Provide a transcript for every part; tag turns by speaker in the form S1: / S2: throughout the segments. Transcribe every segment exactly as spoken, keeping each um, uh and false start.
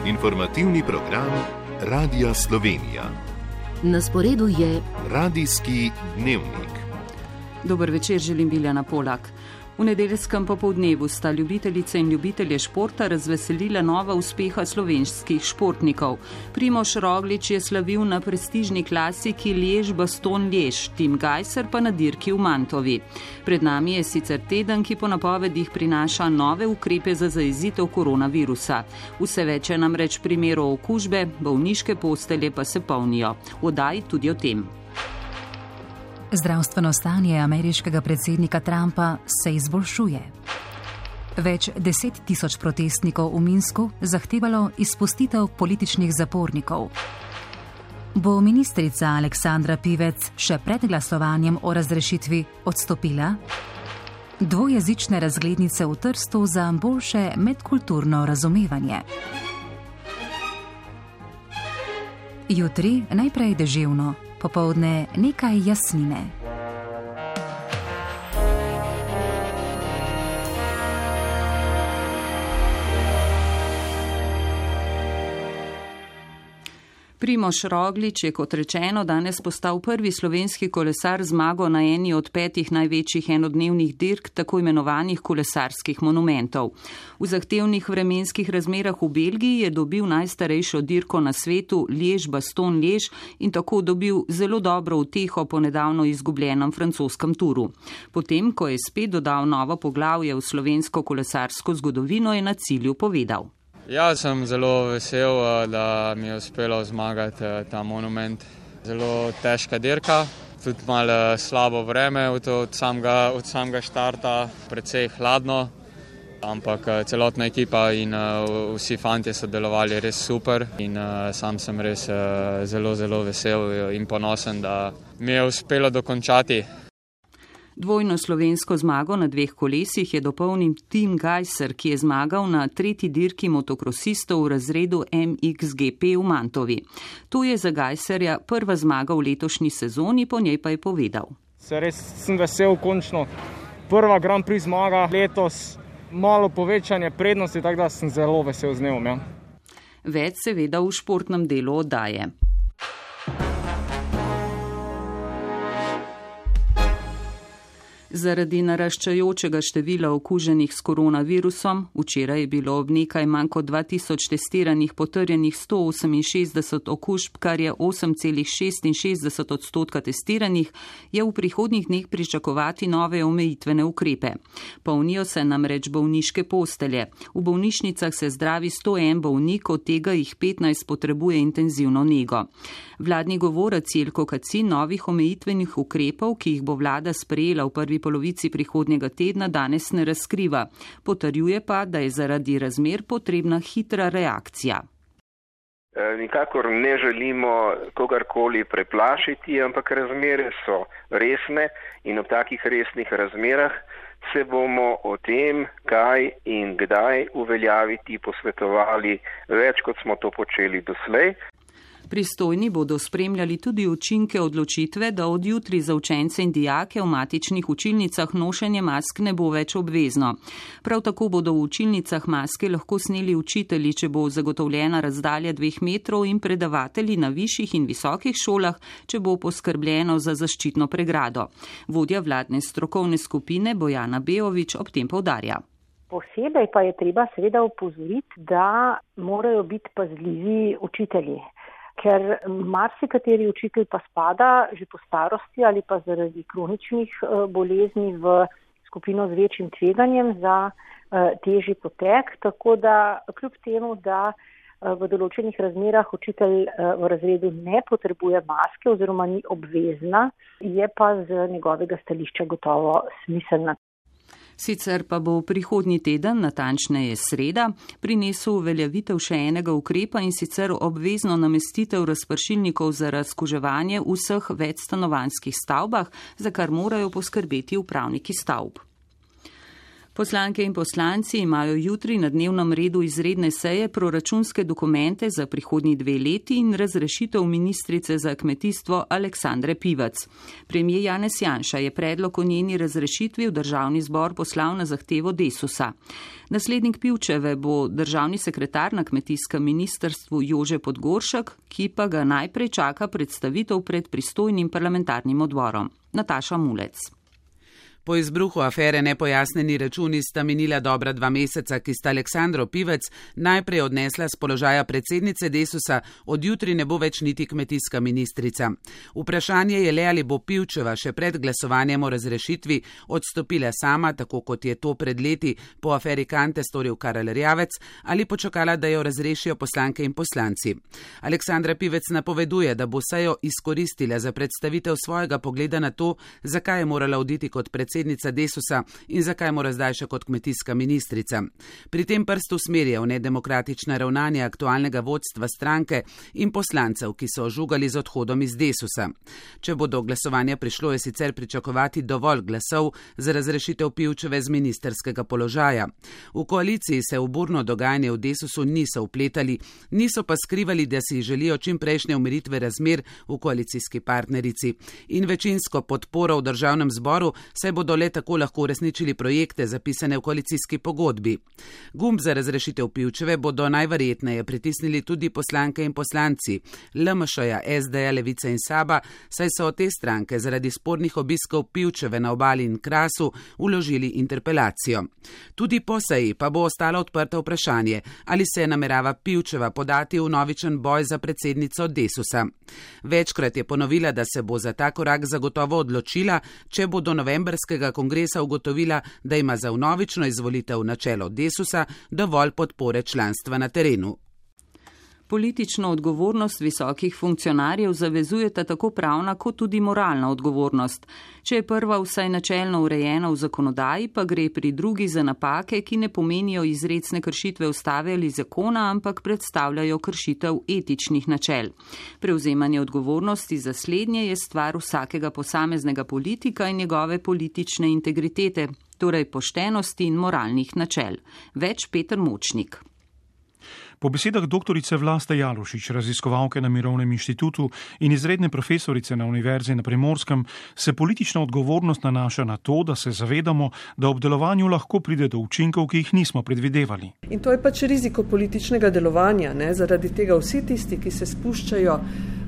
S1: Informativni program Radia Slovenija.
S2: Na sporedu je
S1: Radijski dnevnik.
S3: Dober večer, želim Biljana Polak. V nedeljskem popoldnevu sta ljubitelice in ljubitelje športa razveselila nova uspeha slovenskih športnikov. Primož Roglič je slavil na prestižni klasiki Liège-Bastogne-Liège, Tim Gajser pa na dirki v Mantovi. Pred nami je sicer teden, ki po napovedih prinaša nove ukrepe za zajezitev koronavirusa. Vse več je namreč primerov okužbe, bolniške postelje pa se polnijo. V oddaji tudi o tem.
S4: Zdravstveno stanje ameriškega predsednika Trumpa se izboljšuje. Več deset tisoč protestnikov v Minsku zahtevalo izpustitev političnih zapornikov. Bo ministrica Aleksandra Pivec še pred glasovanjem o razrešitvi odstopila? Dvojezične razglednice v Trstu za boljše medkulturno razumevanje. Jutri najprej deževno, popoldne nekaj jasnine.
S3: Primož Roglič je, kot rečeno, danes postal prvi slovenski kolesar z zmago na eni od petih največjih enodnevnih dirk, tako imenovanih kolesarskih monumentov. V zahtevnih vremenskih razmerah v Belgiji je dobil najstarejšo dirko na svetu Liège-Bastogne-Liège in tako dobil zelo dobro uteho po nedavno izgubljenem francoskem turu. Potem, ko je spet dodal novo poglavje v slovensko kolesarsko zgodovino, je na cilju povedal.
S5: Ja, sem zelo vesel, da mi je uspelo zmagati ta monument. Zelo težka dirka, tudi malo slabo vreme od samega, od samega štarta, precej hladno, ampak celotna ekipa in vsi fantje so delovali res super in sam sem res zelo, zelo vesel in ponosen, da mi je uspelo dokončati.
S3: Dvojno slovensko zmago na dveh kolesih je dopolnil Tim Gajser, ki je zmagal na tretji dirki motokrosistov v razredu M X G P v Mantovi. To je za Gajserja prva zmaga v letošnji sezoni, po njej pa je povedal.
S6: Se res sem vesel, končno prva Grand Prix zmaga letos, malo povečanje prednosti, tako da sem zelo vesel z njom. Ja.
S3: Več seveda v športnem delu oddaje. Zaradi naraščajočega števila okuženih s koronavirusom, včeraj je bilo ob nekaj manj kot dva tisoč testiranih potrjenih sto oseminšestdeset okužb, kar je osem celih šestinšestdeset odstotka testiranih, je v prihodnjih dneh pričakovati nove omejitvene ukrepe. Polnijo se namreč bolniške postelje. V bolnišnicah se zdravi sto en bolnik, od tega jih petnajst potrebuje intenzivno nego. Vladni govorec Jelko Kacin novih omejitvenih ukrepov, ki jih bo vlada sprejela v prvi polovici prihodnjega tedna, danes ne razkriva. Potrjuje pa, da je zaradi razmer potrebna hitra reakcija.
S7: Nikakor ne želimo kogarkoli preplašiti, ampak razmere so resne in ob takih resnih razmerah se bomo o tem, kaj in kdaj uveljaviti, posvetovali več, kot smo to počeli doslej.
S3: Pristojni bodo spremljali tudi učinke odločitve, da od jutri za učence in dijake v matičnih učilnicah nošenje mask ne bo več obvezno. Prav tako bodo v učilnicah maske lahko sneli učitelji, če bo zagotovljena razdalja dveh metrov, in predavatelji na višjih in visokih šolah, če bo poskrbljeno za zaščitno pregrado. Vodja vladne strokovne skupine Bojana Beovič ob tem poudarja.
S8: Posebej pa je treba seveda opozoriti, da morajo biti pazljivi učitelji. Ker marsikateri učitelj pa spada že po starosti ali pa zaradi kroničnih bolezni v skupino z večjim tveganjem za težji potek, tako da kljub temu, da v določenih razmerah učitelj v razredu ne potrebuje maske oziroma ni obvezna, je pa z njegovega stališča gotovo smiselna.
S3: Sicer pa bo prihodnji teden, natančneje sreda, prinesel uveljavitev še enega ukrepa, in sicer obvezno namestitev razpršilnikov za razkuževanje v vseh večstanovanjskih stavbah, za kar morajo poskrbeti upravniki stavb. Poslanke in poslanci imajo jutri na dnevnem redu izredne seje proračunske dokumente za prihodnji dve leti in razrešitev ministrice za kmetijstvo Aleksandre Pivec. Premijer Janez Janša je predlog o njeni razrešitvi v državni zbor poslal na zahtevo Desusa. Naslednik Pivčeve bo državni sekretar na kmetijskem ministrstvu Jože Podgoršek, ki pa ga najprej čaka predstavitev pred pristojnim parlamentarnim odborom. Nataša Mulec.
S9: Po izbruhu afere nepojasneni računi sta minila dobra dva meseca, ki sta Aleksandro Pivec najprej odnesla z položaja predsednice Desusa, od jutri ne bo več niti kmetijska ministrica. Vprašanje je le, ali bo Pivčeva še pred glasovanjem o razrešitvi odstopila sama, tako kot je to pred leti po aferi Kante storil Karel Erjavec, ali počakala, da jo razrešijo poslanke in poslanci. Aleksandra Pivec napoveduje, da bo sejo izkoristila za predstavitev svojega pogleda na to, zakaj je morala oditi kot predsednica predsednica Desusa in zakaj mora zdaj še kot kmetijska ministrica. Pri tem prst usmerja v nedemokratična ravnanja aktualnega vodstva stranke in poslancev, ki so ožugali z odhodom iz Desusa. Če bo do glasovanja prišlo, je sicer pričakovati dovolj glasov za razrešitev Pivčeve z ministerskega položaja. V koaliciji se v burno dogajanje v Desusu niso vpletali, niso pa skrivali, da si želijo čim prejšnje umiritve razmer v koalicijski partnerici in večinsko podporo v državnem zboru, saj bodo le tako lahko uresničili projekte zapisane v koalicijski pogodbi. Gumb za razrešitev Pivčeve bodo najverjetneje pritisnili tudi poslanke in poslanci L M Š-ja, S D-ja, Levice in Saba, saj so te stranke zaradi spornih obiskov Pivčeve na Obali in Krasu vložili interpelacijo. Tudi po seji pa bo ostalo odprto vprašanje, ali se namerava Pivčeva podati v novičen boj za predsednico Desusa. Večkrat je ponovila, da se bo za ta korak zagotovo odločila, če bo do novembrskega kongresa ugotovila, da ima za vnovično izvolitev na čelo Desusa dovolj podpore članstva na terenu.
S3: Politično odgovornost visokih funkcionarjev zavezujeta tako pravna kot tudi moralna odgovornost. Če je prva vsaj načelno urejena v zakonodaji, pa gre pri drugi za napake, ki ne pomenijo izrecne kršitve ustave ali zakona, ampak predstavljajo kršitev etičnih načel. Prevzemanje odgovornosti za slednje je stvar vsakega posameznega politika in njegove politične integritete, torej poštenosti in moralnih načel. Več Peter Močnik.
S10: Po besedah doktorice Vlaste Jalušič, raziskovalke na Mirovnem inštitutu in izredne profesorice na Univerzi na Primorskem, se politična odgovornost nanaša na to, da se zavedamo, da ob delovanju lahko pride do učinkov, ki jih nismo predvidevali.
S11: In to je pač riziko političnega delovanja, ne? Zaradi tega vsi tisti, ki se spuščajo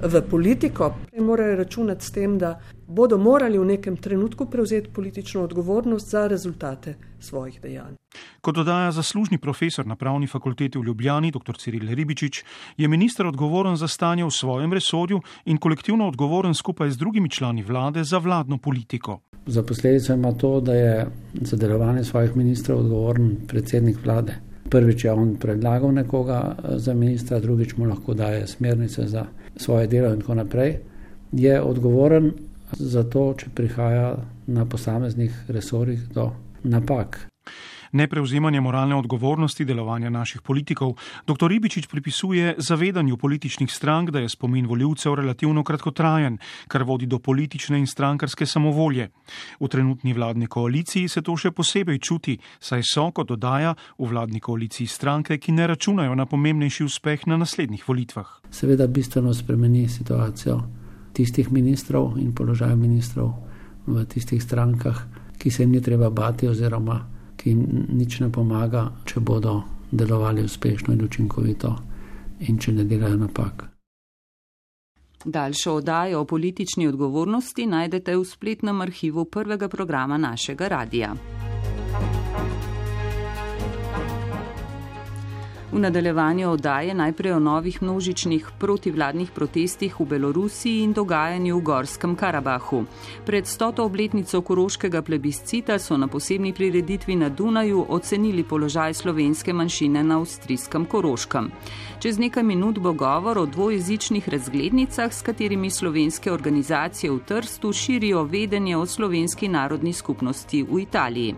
S11: v politiko, morajo računati s tem, da bodo morali v nekem trenutku prevzeti politično odgovornost za rezultate svojih dejanj.
S10: Kot dodaja zaslužni profesor na Pravni fakulteti v Ljubljani, dr Ciril Ribičič, je minister odgovoren za stanje v svojem resorju in kolektivno odgovoren skupaj z drugimi člani vlade za vladno politiko.
S12: Za posledico ima to, da je za delovanje svojih ministrov odgovoren predsednik vlade. Prvič je on predlagal nekoga za ministra, drugič mu lahko daje smernice za svoje delo in tako naprej. Je odgovoren za to, če prihaja na posameznih resorjih do napak.
S10: Neprevzemanje moralne odgovornosti delovanja naših politikov dr Ribičič pripisuje zavedanju političnih strank, da je spomin volivcev relativno kratkotrajen, kar vodi do politične in strankarske samovolje. V trenutni vladni koaliciji se to še posebej čuti, saj so, kot dodaja, v vladni koaliciji stranke, ki ne računajo na pomembnejši uspeh na naslednjih volitvah.
S12: Seveda bistveno spremeni situacijo tistih ministrov in položaj ministrov v tistih strankah, ki se jim ni treba bati oziroma ki jim nič ne pomaga, če bodo delovali uspešno in učinkovito in če ne delajo napak.
S3: Daljšo oddajo o politični odgovornosti najdete v spletnem arhivu prvega programa našega radija. V nadaljevanju oddaje najprej o novih množičnih protivladnih protestih v Belorusiji in dogajanju v Gorskem Karabahu. Pred stoto obletnico koroškega plebiscita so na posebni prireditvi na Dunaju ocenili položaj slovenske manjšine na avstrijskem Koroškem. Čez nekaj minut bo govor o dvojezičnih razglednicah, s katerimi slovenske organizacije v Trstu širijo vedenje o slovenski narodni skupnosti v Italiji.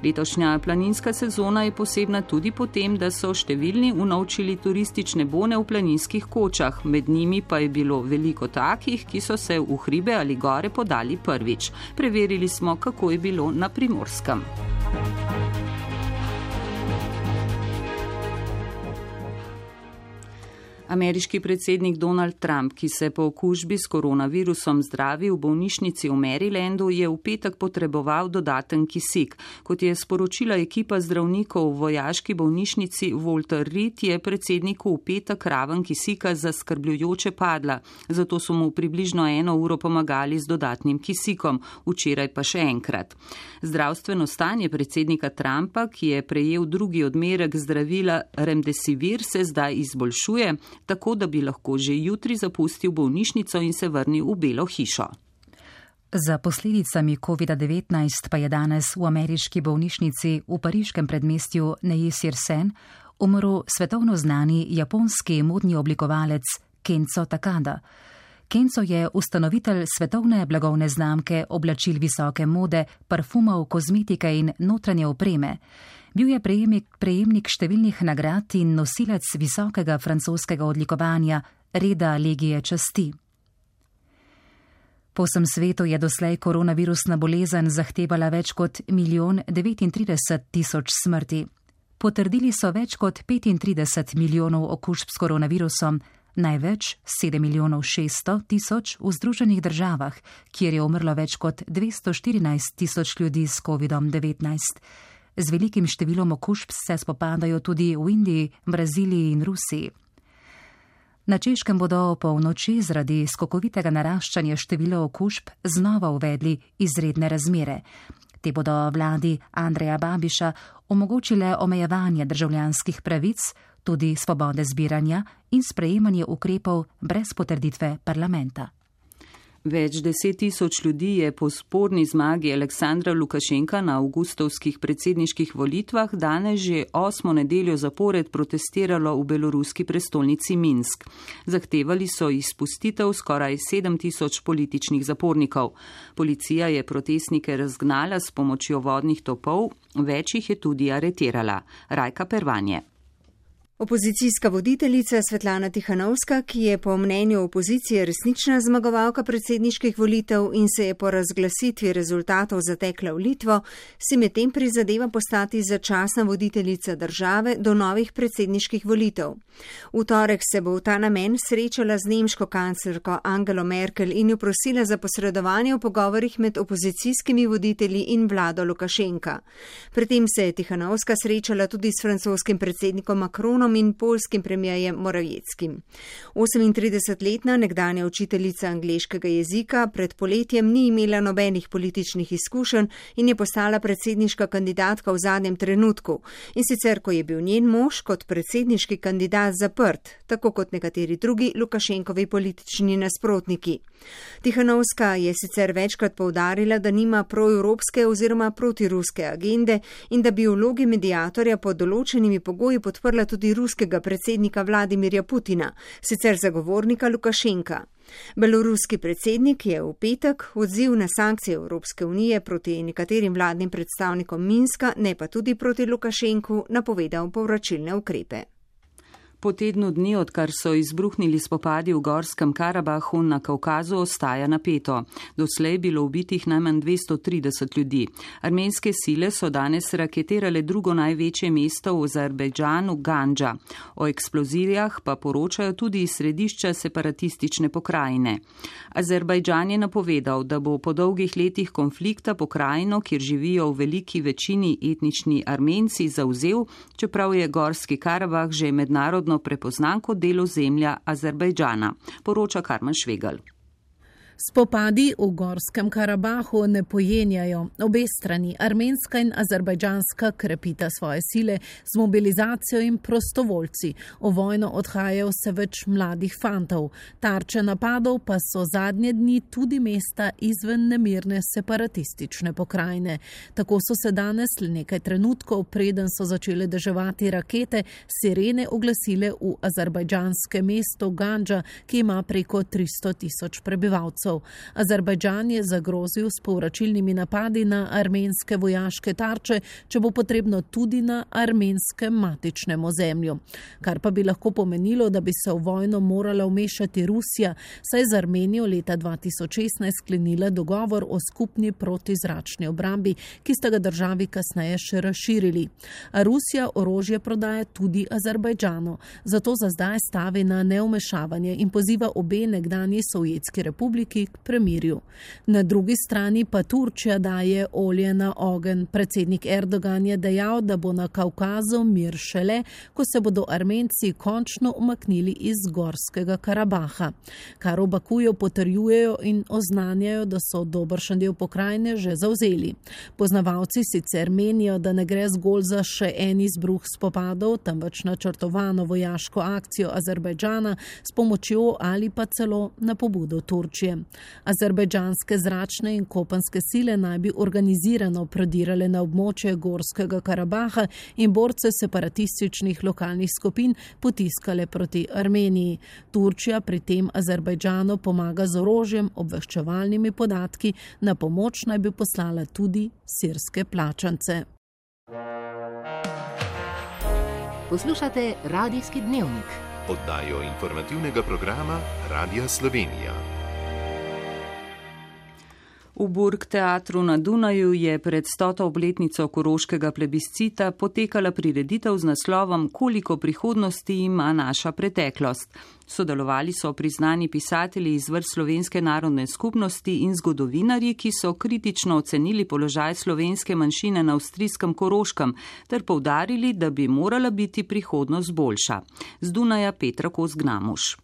S3: Letošnja planinska sezona je posebna tudi po tem, da so številni unovčili turistične bone v planinskih kočah, med njimi pa je bilo veliko takih, ki so se v hribe ali gore podali prvič. Preverili smo, kako je bilo na Primorskem. Ameriški predsednik Donald Trump, ki se po okužbi s koronavirusom zdravi v bolnišnici v Marylandu, je v petek potreboval dodaten kisik. Kot je sporočila ekipa zdravnikov v vojaški bolnišnici Walter Reed, je predsedniku v petek raven kisika zaskrbljujoče padla, zato so mu približno eno uro pomagali z dodatnim kisikom, včeraj pa še enkrat. Zdravstveno stanje predsednika Trumpa, ki je prejel drugi odmerek zdravila Remdesivir, se zdaj izboljšuje, tako da bi lahko že jutri zapustil bolnišnico in se vrnil v Belo hišo.
S4: Za posledicami kovida devetnajst pa je danes v ameriški bolnišnici v pariškem predmestju Neuilly-sur-Seine umrl svetovno znani japonski modni oblikovalec Kenzo Takada. Kenzo je ustanovitelj svetovne blagovne znamke oblačil visoke mode, parfumov, kozmetike in notranje opreme. Bil je prejemnik, prejemnik številnih nagrad in nosilec visokega francoskega odlikovanja reda Legije časti. Po vsem svetu je doslej koronavirusna bolezen zahtevala več kot milijon devetintrideset tisoč smrti. Potrdili so več kot petintrideset milijonov okužb s koronavirusom, največ sedem milijonov šeststo tisoč v Združenih državah, kjer je umrlo več kot dvesto štirinajst tisoč ljudi s kovidom devetnajst. Z velikim številom okužb se spopadajo tudi v Indiji, Braziliji in Rusiji. Na Češkem bodo po noči zaradi skokovitega naraščanja števila okužb znova uvedli izredne razmere. Te bodo vladi Andreja Babiša omogočile omejevanje državljanskih pravic, tudi svobode zbiranja in sprejemanje ukrepov brez potrditve parlamenta.
S3: Več deset tisoč ljudi je po sporni zmagi Aleksandra Lukašenka na avgustovskih predsedniških volitvah danes že osmo nedeljo zapored protestiralo v beloruski prestolnici Minsk. Zahtevali so izpustitev skoraj sedem tisoč političnih zapornikov. Policija je protestnike razgnala s pomočjo vodnih topov, več jih je tudi aretirala. Rajka Pervanje.
S13: Opozicijska voditeljica Svetlana Tihanovska, ki je po mnenju opozicije resnična zmagovalka predsedniških volitev in se je po razglasitvi rezultatov zatekla v Litvo, si medtem prizadeva postati začasna voditeljica države do novih predsedniških volitev. V torek se bo v ta namen srečala z nemško kanclerko Angelo Merkel in jo prosila za posredovanje v pogovorih med opozicijskimi voditelji in vlado Lukašenka. Pri tem se je Tihanovska srečala tudi s francoskim predsednikom Macronom in poljskim premijerjem Morawieckim. osemintridesetletna nekdanja učiteljica angleškega jezika pred poletjem ni imela nobenih političnih izkušenj in je postala predsedniška kandidatka v zadnjem trenutku, in sicer ko je bil njen mož kot predsedniški kandidat zaprt, tako kot nekateri drugi Lukašenkovi politični nasprotniki. Tihanovska je sicer večkrat poudarila, da nima proevropske oziroma protiruske agende in da bi v vlogi mediatorja pod določenimi pogoji podprla tudi ruskega predsednika Vladimirja Putina, sicer zagovornika Lukašenka. Beloruski predsednik je v petek odziv na sankcije Evropske unije proti nekaterim vladnim predstavnikom Minska, ne pa tudi proti Lukašenku, napovedal povračilne ukrepe.
S3: Po tednu dni, odkar so izbruhnili spopadi v Gorskem Karabahu na Kavkazu, ostaja napeto. Doslej je bilo ubitih najmanj dvesto trideset ljudi. Armenske sile so danes raketirale drugo največje mesto v Azerbajdžanu, Gandža. O eksplozijah pa poročajo tudi iz središča separatistične pokrajine. Azerbajdžan je napovedal, da bo po dolgih letih konflikta pokrajino, kjer živijo v veliki večini etnični Armenci, zavzel, čeprav je Gorski Karabah že mednarodno prepoznan kot del ozemlja Azerbajdžana, poroča Karmen Švegelj.
S14: Spopadi v Gorskem Karabahu ne pojenjajo. Obe strani, armenska in azerbajdžanska, krepita svoje sile z mobilizacijo in prostovoljci. V vojno odhajajo vse več mladih fantov. Tarče napadov pa so zadnje dni tudi mesta izven nemirne separatistične pokrajine. Tako so se danes le nekaj trenutkov, preden so začele deževati rakete, sirene oglasile v azerbajdžanskem mestu Gandža, ki ima preko tristo tisoč prebivalcev. upornikov. Azerbajdžan je zagrozil s povračilnimi napadi na armenske vojaške tarče, če bo potrebno tudi na armenskem matičnem ozemlju. Kar pa bi lahko pomenilo, da bi se v vojno morala vmešati Rusija, saj z Armenijo leta dva tisoč šestnajst sklenila dogovor o skupni protizračni obrambi, ki sta ga državi kasneje še razširili. A Rusija orožje prodaja tudi Azerbajdžanu, zato za zdaj stavi na neumešavanje in poziva obe nekdanji Sovjetski republiki k premirju. Na drugi strani pa Turčija daje olje na ogenj. Predsednik Erdogan je dejal, da bo na Kavkazu mir šele, ko se bodo Armenci končno umaknili iz Gorskega Karabaha, kar v Bakuju potrjujejo in oznanjajo, da so dobršen del pokrajine že zavzeli. Poznavalci sicer menijo, da ne gre zgolj za še en izbruh spopadov, temveč načrtovano vojaško akcijo Azerbajdžana s pomočjo ali pa celo na pobudo Turčije. Azerbajdžanske zračne in kopenske sile naj bi organizirano prodirale na območje Gorskega Karabaha in borce separatističnih lokalnih skupin potiskale proti Armeniji. Turčija pri tem Azerbajdžanu pomaga z orožjem, obveščevalnimi podatki, na pomoč naj bi poslala tudi sirske plačance.
S2: Poslušate Radijski dnevnik.
S1: Oddajo informativnega programa Radia Slovenija.
S3: V Burgteatru na Dunaju je pred stoto obletnico koroškega plebiscita potekala prireditev z naslovom Koliko prihodnosti ima naša preteklost. Sodelovali so priznani pisatelji iz vrst slovenske narodne skupnosti in zgodovinarji, ki so kritično ocenili položaj slovenske manjšine na avstrijskem Koroškem ter poudarili, da bi morala biti prihodnost boljša. Z Dunaja Petra Kos-Gnamuš.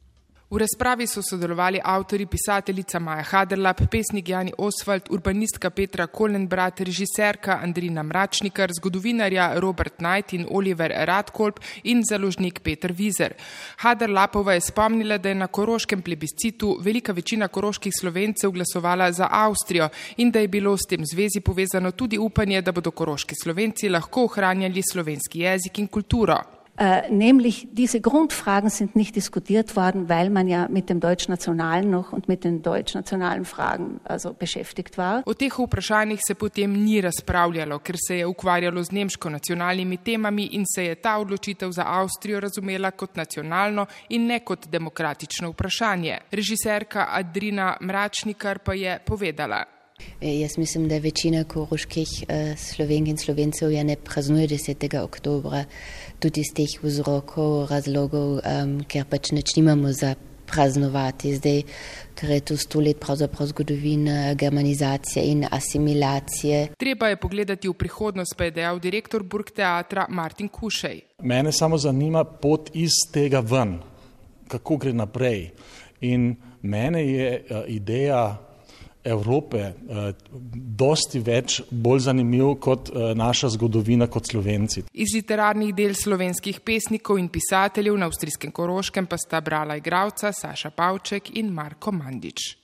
S15: V razpravi so sodelovali avtori, pisateljica Maja Haderlap, pesnik Jani Oswald, urbanistka Petra Kolenbrat, režiserka Andrina Mračnikar, zgodovinarja Robert Knight in Oliver Radkolb in založnik Peter Vizer. Haderlapova je spomnila, da je na koroškem plebiscitu velika večina koroških Slovencev glasovala za Avstrijo in da je bilo s tem zvezi povezano tudi upanje, da bodo koroški Slovenci lahko ohranjali slovenski jezik in kulturo.
S16: Äh, nämlich diese Grundfragen sind nicht diskutiert worden, weil man ja mit dem Deutschnationalen noch und mit den deutschnationalen Fragen also beschäftigt war.
S15: O teh vprašanjih se potem ni razpravljalo, ker se je ukvarjalo z nemško nacionalnimi temami in se je ta odločitev za Avstrijo razumela kot nacionalno in ne kot demokratično vprašanje. Režiserka Andrina Mračnikar pa je povedala.
S17: Jaz mislim, da večina koroških uh, Slovenk in Slovencev je ne praznuje desetega oktobra, tudi iz teh vzrokov, razlogov, um, ker pač nič nimamo za praznovati zdaj, ker je to sto let pravzaprav zgodovina germanizacije in asimilacije.
S15: Treba je pogledati v prihodnost, pa je dejal direktor Burgteatra Martin Kušej.
S18: Mene samo zanima pot iz tega ven, kako gre naprej. In mene je uh, ideja Evrope eh, dosti več bolj zanimiv kot eh, naša zgodovina kot Slovenci.
S15: Iz literarnih del slovenskih pesnikov in pisateljev na avstrijskem Koroškem pa sta brala igralca Saša Pavček in Marko Mandič.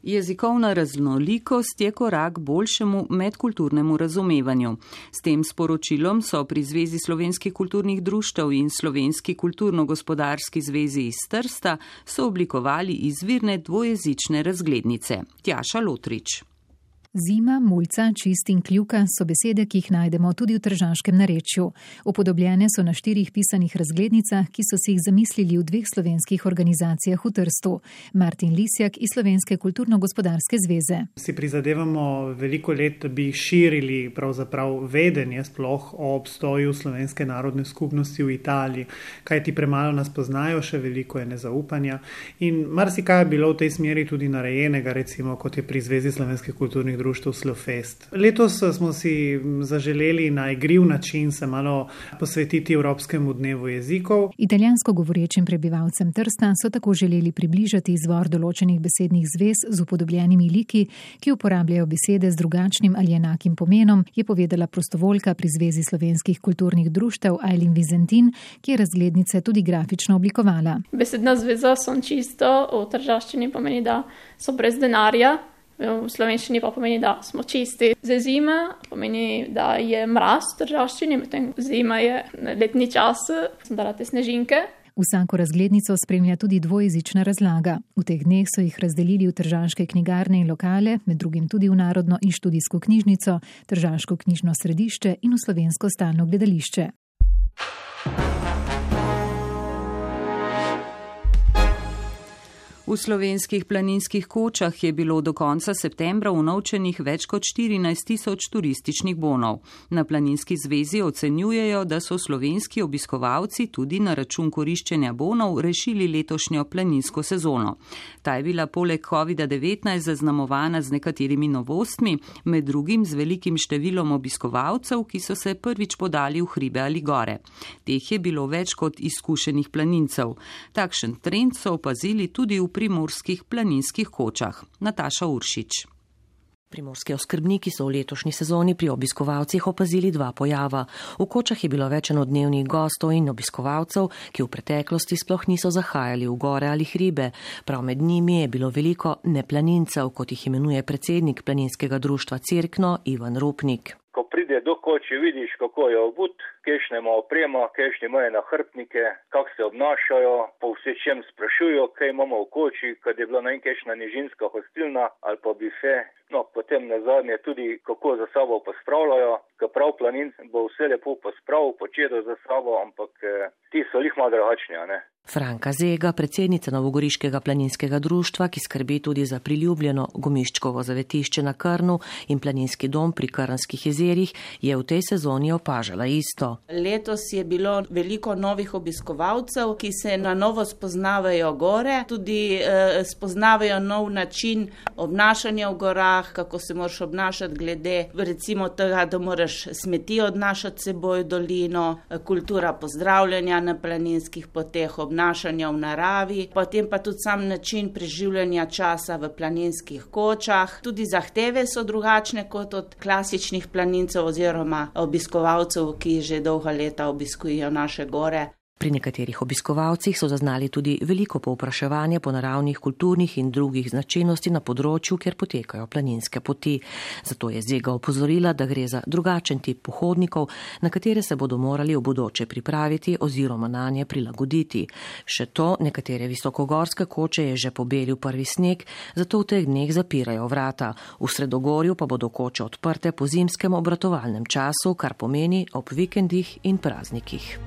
S3: Jezikovna raznolikost je korak boljšemu medkulturnemu razumevanju. S tem sporočilom so pri Zvezi slovenskih kulturnih društev in Slovenski kulturno-gospodarski zvezi iz Trsta sooblikovali izvirne dvojezične razglednice. Tjaša Lotrič.
S4: Zima, mulca, čist in kljuka so besede, ki jih najdemo tudi v tržaškem narečju. Upodobljene so na štirih pisanih razglednicah, ki so si jih zamislili v dveh slovenskih organizacijah v Trstu. Martin Lisjak iz Slovenske kulturno-gospodarske zveze.
S19: Si prizadevamo veliko let, da bi širili pravzaprav vedenje sploh o obstoju slovenske narodne skupnosti v Italiji. Kaj ti premalo nas poznajo, še veliko je nezaupanja. In marsikaj je bilo v tej smeri tudi narejenega, recimo kot je pri Zvezi slovenskih kulturnih društev Slofest. Letos smo si zaželeli na igriv način se malo posvetiti Evropskemu dnevu jezikov.
S4: Italijansko govorečim prebivalcem Trsta so tako želeli približati izvor določenih besednih zvez z upodobljenimi liki, ki uporabljajo besede z drugačnim ali enakim pomenom, je povedala prostovoljka pri Zvezi slovenskih kulturnih društev Ailin Vizentin, ki je razglednice tudi grafično oblikovala.
S20: Besedna zveza son čisto, v tržaščini pomeni, da so brez denarja. V slovenščini pa pomeni, da smo čisti. Za zima pomeni, da je mraz v tržaščini, medtem zima je letni čas, sem dala te snežinke.
S21: Vsako razglednico spremlja tudi dvojezična razlaga. V teh dneh so jih razdelili v tržaške knjigarne in lokale, med drugim tudi v Narodno in študijsko knjižnico, Tržaško knjižno središče in v Slovensko stalno gledališče.
S3: V slovenskih planinskih kočah je bilo do konca septembra unovčenih več kot štirinajst tisoč turističnih bonov. Na Planinski zvezi ocenjujejo, da so slovenski obiskovalci tudi na račun koriščenja bonov rešili letošnjo planinsko sezono. Ta je bila poleg kovida devetnajst zaznamovana z nekaterimi novostmi, med drugim z velikim številom obiskovalcev, ki so se prvič podali v hribe ali gore. Teh je bilo več kot izkušenih planincev. Takšen trend so opazili tudi v primorskih planinskih kočah. Nataša Uršič.
S22: Primorski oskrbniki so v letošnji sezoni pri obiskovalcih opazili dva pojava. V kočah je bilo več enodnevnih gostov in obiskovalcev, ki v preteklosti sploh niso zahajali v gore ali hribe. Prav med njimi je bilo veliko neplanincev, kot jih imenuje predsednik planinskega društva Cerkno Ivan Rupnik.
S23: Ko pride do koče, vidiš, kako je obut, kejšne ima oprema, kejšne imajo nahrbtnike, kako se obnašajo, po vse čem sprašujo, kaj imamo v koči, kad je bila najkejšna nižinska hostilna ali pa bife. No, potem nazadnje tudi, kako za sabo pospravljajo, ker prav planinc bo vse lepo pospravil, počedo za sabo, ampak eh, ti so lih malo drugačni, a ne?
S22: Franka Zega, predsednica Novogoriškega planinskega društva, ki skrbi tudi za priljubljeno Gomiščkovo zavetišče na Krnu in planinski dom pri Krnskih jezerih, je v tej sezoni opažala isto.
S24: Letos je bilo veliko novih obiskovalcev, ki se na novo spoznavajo gore, tudi eh, spoznavajo nov način obnašanja v gorah, kako se moraš obnašati glede recimo tega, da moraš smeti odnašati seboj v dolino, kultura pozdravljanja na planinskih poteh, obnašanja v naravi, potem pa tudi sam način preživljanja časa v planinskih kočah. Tudi zahteve so drugačne kot od klasičnih planincev oziroma obiskovalcev, ki že dolga leta obiskujejo naše gore.
S22: Pri nekaterih obiskovalcih so zaznali tudi veliko povpraševanje po naravnih, kulturnih in drugih značilnosti na področju, kjer potekajo planinske poti. Zato je Zega opozorila, da gre za drugačen tip pohodnikov, na katere se bodo morali v bodoče pripraviti oziroma na nje prilagoditi. Še to, nekatere visokogorske koče je že pobelil prvi sneg, zato v teh dneh zapirajo vrata. V Sredogorju pa bodo koče odprte po zimskem obratovalnem času, kar pomeni ob vikendih in praznikih.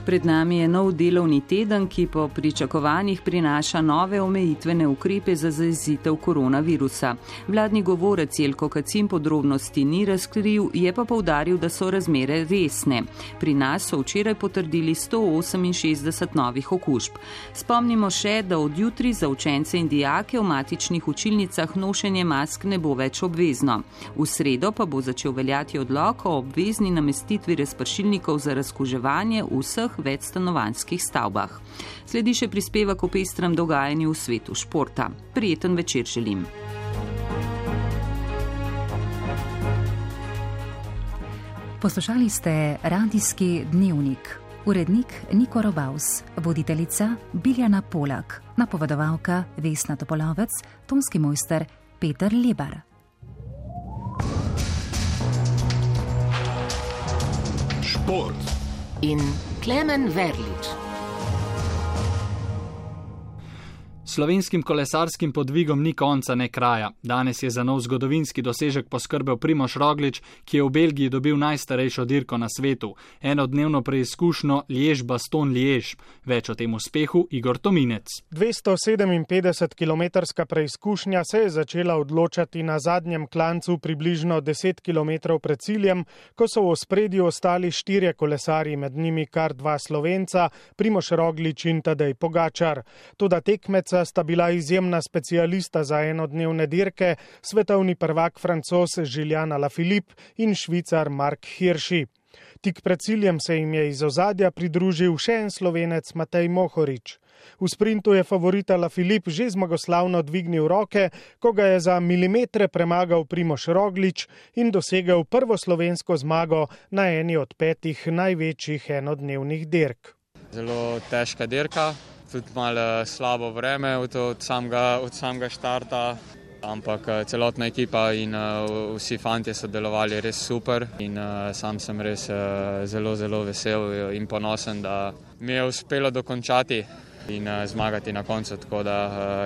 S3: Pred nami je nov delovni teden, ki po pričakovanjih prinaša nove omejitvene ukrepe za zajezitev koronavirusa. Vladni govorec Jelko Kacin podrobnosti ni razkril, je pa poudaril, da so razmere resne. Pri nas so včeraj potrdili sto oseminšestdeset novih okužb. Spomnimo še, da od jutri za učence in dijake v matičnih učilnicah nošenje mask ne bo več obvezno. V sredo pa bo začel veljati odlok o obvezni namestitvi razpršilnikov za razkuževanje vseh večstanovanjskih stavbah. Sledi še prispevek o pestrem dogajanju v svetu športa. Prijeten večer želim.
S4: Poslušali ste Radijski dnevnik. Urednik Niko Robaus, voditeljica Biljana Polak, napovedovalka Vesna Topolovec, tonski mojster Peter Lebar.
S1: Šport
S2: in Klemen Verlič.
S25: Slovenskim kolesarskim podvigom ni konca ne kraja. Danes je za nov zgodovinski dosežek poskrbel Primož Roglič, ki je v Belgiji dobil najstarejšo dirko na svetu. Enodnevno preizkušnjo Liež-Bastogne-Liež. Več o tem uspehu Igor Tominec.
S26: dvesto sedeminpetdesetkilometrska preizkušnja se je začela odločati na zadnjem klancu približno deset kilometrov pred ciljem, ko so v ospredju ostali štirje kolesarji, med njimi kar dva Slovenca, Primož Roglič in Tadej Pogačar. Toda tekmeca sta bila izjemna specialista za enodnevne dirke, svetovni prvak Francoz Julian Alaphilippe in Švicar Mark Hirschi. Tik pred ciljem se jim je iz ozadja pridružil še en Slovenec Matej Mohorič. V sprintu je favorit Alaphilippe že zmagoslavno dvignil roke, ko ga je za milimetre premagal Primož Roglič in dosegel prvo slovensko zmago na eni od petih največjih enodnevnih dirk.
S5: Zelo težka dirka. Tudi malo slabo vreme od, od, samega, od samega štarta. ampak celotna ekipa in vsi fantje so delovali res super in sam sem res zelo, zelo vesel in ponosen, da mi je uspelo dokončati in zmagati na koncu, tako da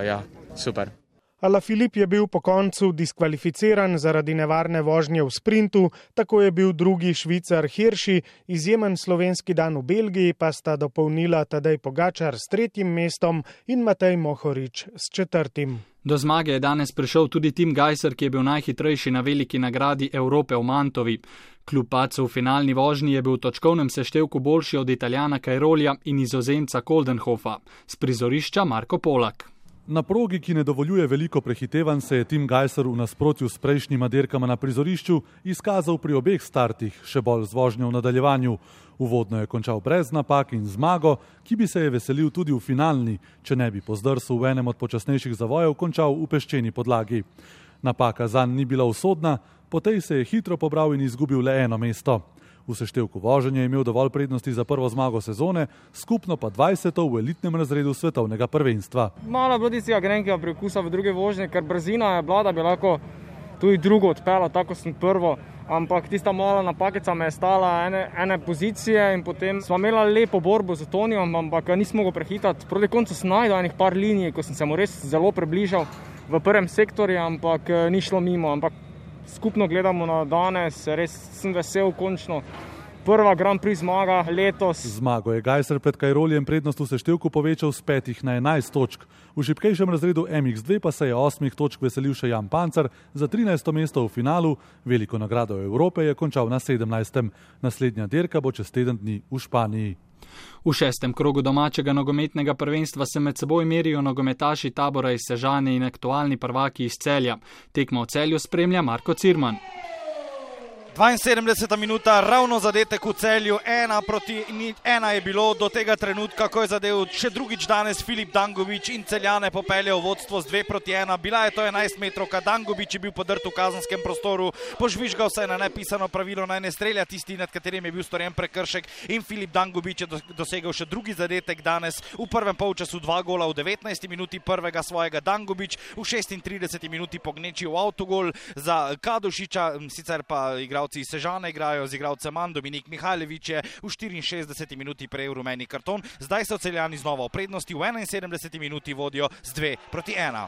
S5: ja, super.
S26: Alaphilippe je bil po koncu diskvalificiran zaradi nevarne vožnje v sprintu, tako je bil drugi Švicar Hirschi, izjemen slovenski dan v Belgiji pa sta dopolnila Tadej Pogačar s tretjim mestom in Matej Mohorič s četrtim.
S25: Do zmage je danes prišel tudi Tim Gajser, ki je bil najhitrejši na veliki nagradi Evrope v Mantovi. Kljub padcu v finalni vožnji je bil v točkovnem seštevku boljši od Italijana Cairolija in Nizozemca Koldenhofa. S prizorišča Marko Polak.
S6: Na progi, ki ne dovoljuje veliko prehitevanj, se je Tim Gajser v nasprotju s prejšnjima dirkama na prizorišču izkazal pri obeh startih, še bolj z vožnjo v nadaljevanju. Uvodno je končal brez napak in zmago, ki bi se je veselil tudi v finalni, če ne bi po zdrsu v enem od počasnejših zavojev končal v peščeni podlagi. Napaka zanj ni bila usodna, po tej se je hitro pobral in izgubil le eno mesto. V seštevku voženja je imel dovolj prednosti za prvo zmago sezone, skupno pa dvajseto v elitnem razredu svetovnega prvenstva.
S7: Malo je bilo tistega grenkega prekusa v druge vožnje, ker brzina je bila, da bi lahko tudi drugo odpela, tako sem prvo, ampak tista mala napakica me je stala ene, ene pozicije in potem smo imeli lepo borbo z Tonijom, ampak nismo mogli prehitati. Proti koncu sem najdel enih par linij, ko sem se mu res zelo približal v prvem sektorju, ampak ni šlo mimo, ampak skupno gledamo na danes, res sem vesel končno. Prva Grand Prix zmaga letos.
S6: Zmago je Gajser pred Cairolijem prednost v seštevku povečal z petih na enajst točk. V šibkejšem razredu M X dva pa se je osmih točk veselil še Jan Pancar za trinajsto mesto v finalu. Veliko nagrado Evrope je končal na sedemnajstem. Naslednja dirka bo čez teden dni v Španiji.
S25: V šestem krogu domačega nogometnega prvenstva se med seboj merijo nogometaši Tabora iz Sežane in aktualni prvaki iz Celja. Tekmo v Celju spremlja Marko Cirman.
S8: dvainsedemdeseta minuta, ravno zadetek v Celju, ena proti ena je bilo do tega trenutka, ko je zadev še drugič danes Filip Dangubić in Celjane popeljal vodstvo z dve proti ena. Bila je to enajst metrovka, Dangubić je bil podrt v kazenskem prostoru, požvižgal se je na nepisano pravilo, naj ne strelja tisti, nad katerim je bil storjen prekršek, in Filip Dangubić je dosegel še drugi zadetek danes. V prvem polčasu dva gola, v devetnajsti minuti prvega svojega Dangubić, v šestintrideseti minuti pognečil avtogol za Kadušiča, sicer pa igral iz Sežane igrajo z igralcem manj, Dominik Mihajlović je v štiriinšestdeseti minuti prejel rumeni karton, zdaj so Celjani znova v prednosti, v enainsedemdeseti minuti vodijo z dve proti ena.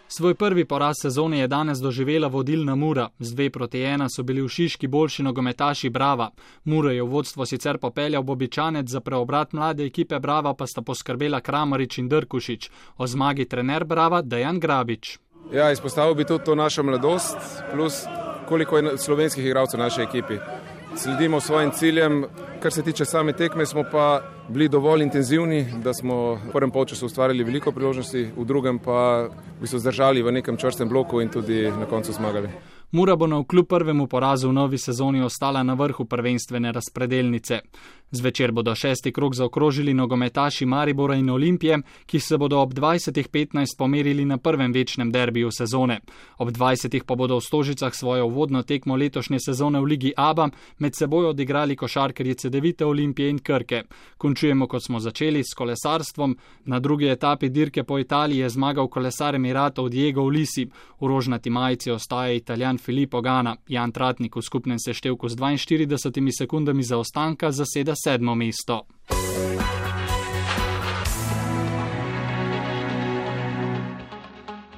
S25: Svoj prvi poraz sezone je danes doživela vodilna Mura. Z dve proti ena so bili v Šiški boljši nogometaši Brava. Muro je v vodstvo sicer popeljal Bobičanec, za preobrat mlade ekipe Brava pa sta poskrbela Kramarič in Drkušič. O zmagi trener Brava Dejan Grabič.
S9: Ja, izpostavil bi tudi to našo mladost, plus koliko je slovenskih igralcev v naši ekipi. Sledimo svojim ciljem, kar se tiče same tekme, smo pa bili dovolj intenzivni, da smo v prvem polčasu ustvarili veliko priložnosti, v drugem pa bi se zdržali v nekem čvrstem bloku in tudi na koncu zmagali.
S25: Mura bo navkljub prvemu porazu v novi sezoni ostala na vrhu prvenstvene razpredelnice. Zvečer bodo šesti krog zaokrožili nogometaši Maribora in Olimpije, ki se bodo ob dvajsetih petnajst pomerili na prvem večnem derbiju sezone. Ob dvajsetih pa bodo v Stožicah svojo uvodno tekmo letošnje sezone v Ligi ABA med seboj odigrali košarkarji Cedevite, Olimpije in Krke. Končujemo, kot smo začeli, s kolesarstvom. Na drugi etapi dirke po Italiji je zmagal kolesar Emiratov Diego Ulisi. V rožnati majici ostaja Italijan Filippo Ganna. Jan Tratnik v skupnem seštevku z dvainštiridesetimi sekundami zaostanka zaseda sedmo mesto.